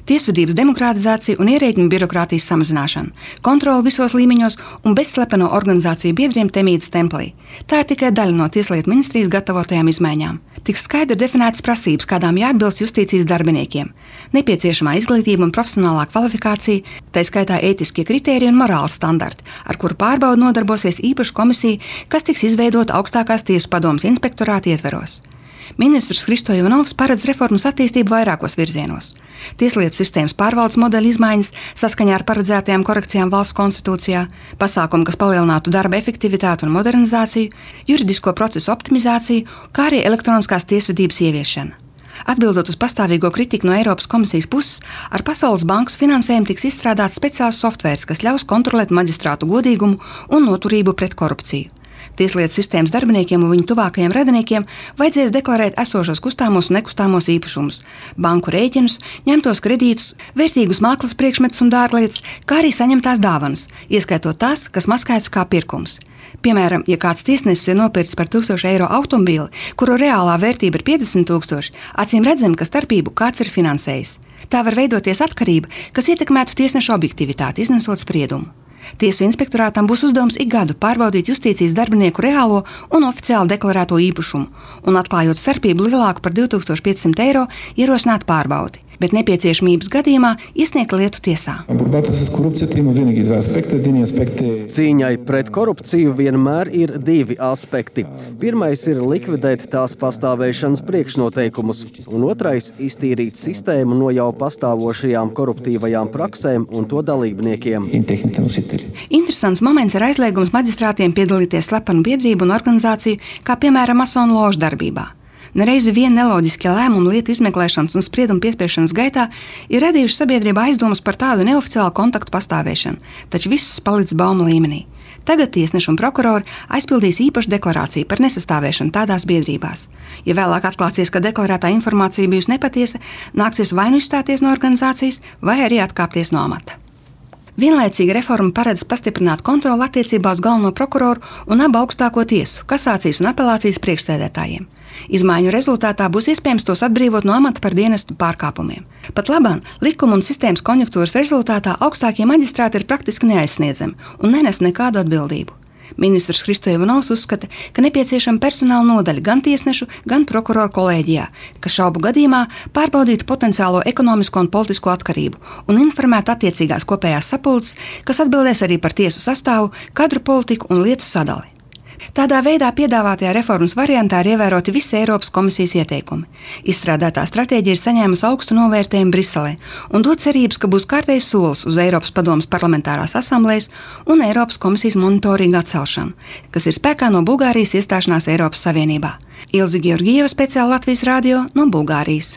tiesvedības demokratizācija un ierēģņu birokrātijas samazināšana, kontrole visos līmeņos un bezslepeno organizāciju biedriem temītas templī. Tā ir tikai daļa no Tieslietu ministrijas gatavotajām izmaiņām. Tiks skaidri definētas prasības, kādām jāatbilst justīcijas darbiniekiem, nepieciešamā izglītība un profesionālā kvalifikācija, tā skaitā ētiskie kritēriji un morāls standarti, ar kuru pārbaudu nodarbosies īpaša komisija, kas tiks izveidota augstākās tiesu padomes inspektorāta ietveros. Ministrs Hristo Ivanovs paredz reformas attīstību vairākos virzienos. Tieslietu sistēmas pārvaldes modeļa izmaiņas saskaņā ar paredzētajām korekcijām valsts konstitūcijā, pasākumi, kas palielinātu darba efektivitāti un modernizāciju, juridisko procesu optimizāciju, kā arī elektroniskās tiesvedības ieviešana. Atbildot uz pastāvīgo kritiku no Eiropas komisijas puses, ar Pasaules bankas finansējumu tiks izstrādāts speciāls softvērs, kas ļaus kontrolēt maģistrātu godīgumu un noturību pret korupciju. Tieslietu sistēmas darbiniekiem un viņu tuvākajiem radiniekiem vajadzēs deklarēt esošos kustāmos un nekustamos īpašumus, banku rēķinus, ņemtos kredītus, vērtīgus mākslas priekšmetus un dārglietas, kā arī saņemtās dāvanas, ieskaitot tās, kas maskētas kā pirkums. Piemēram, ja kāds tiesnesis ir nopircis par 1000 eiro automobīli, kuru reālā vērtība ir 50 000, acīm redzam, ka starpību kāds ir finansējis. Tā var veidoties atkarība, kas ietekmētu tiesnešu objektivitāti, iznesot spriedumu. Tiesu inspektorātam būs uzdevums ik gadu pārbaudīt justīcijas darbinieku reālo un oficiāli deklarēto īpašumu un, atklājot starpību lielāku par 2500 eiro, ierosināt pārbaudi, bet nepieciešamības gadījumā iesniegt lietu tiesā. Cīņai pret korupciju vienmēr ir divi aspekti. Pirmais ir likvidēt tās pastāvēšanas priekšnoteikumus, un otrais – iztīrīt sistēmu no jau pastāvošajām koruptīvajām praksēm un to dalībniekiem. Interesants moments ir aizliegums maģistrātiem piedalīties slepenu biedrību un organizāciju, kā piemēram masonu ložu darbībā. Nereizi vien neloģiskie lēmumi lietu izmeklēšanas un spriedumu piespriešanas gaitā ir radījuši sabiedrībā aizdomas par tādu neoficiālu kontaktu pastāvēšanu, taču viss palicis bauma līmenī. Tagad tiesneši un prokurori aizpildīs īpašu deklarāciju par nesastāvēšanu tādās biedrībās. Ja vēlāk atklāsies, ka deklarētā informācija bijusi nepatiesa, nāksies vai nu izstāties no organizācijas, vai arī atkāpties no amata. Vienlaicīgi reforma paredz pastiprināt kontroli attiecībā uz galveno prokuroru un abu augstāko tiesu, kasācijas un apelācijas priekšsēdētājiem. Izmaiņu rezultātā būs iespējams tos atbrīvot no amata par dienestu pārkāpumiem. Pat labāk, likuma un sistēmas konjunktūras rezultātā augstākie maģistrāti ir praktiski neaizsniedzami un nenes nekādu atbildību. Ministrs Hristo Ivanovs uzskata, ka nepieciešama personāla nodaļa gan tiesnešu, gan prokuroru kolēģijā, kas šaubu gadījumā pārbaudītu potenciālo ekonomisko un politisko atkarību un informētu attiecīgās kopējās sapulces, kas atbildēs arī par tiesu sastāvu, kadru politiku un lietu sadali. Tādā veidā piedāvātajā reformas variantā ir ievēroti visi Eiropas komisijas ieteikumi. Izstrādātā stratēģija ir saņēmusi augstu novērtējumu Briselē un dod cerības, ka būs kārtējs solis uz Eiropas padomes parlamentārās asamblejas un Eiropas komisijas monitoringa atcelšanu, kas ir spēkā no Bulgārijas iestāšanās Eiropas Savienībā. Ilze Georgieva, speciāli Latvijas radio no Bulgārijas.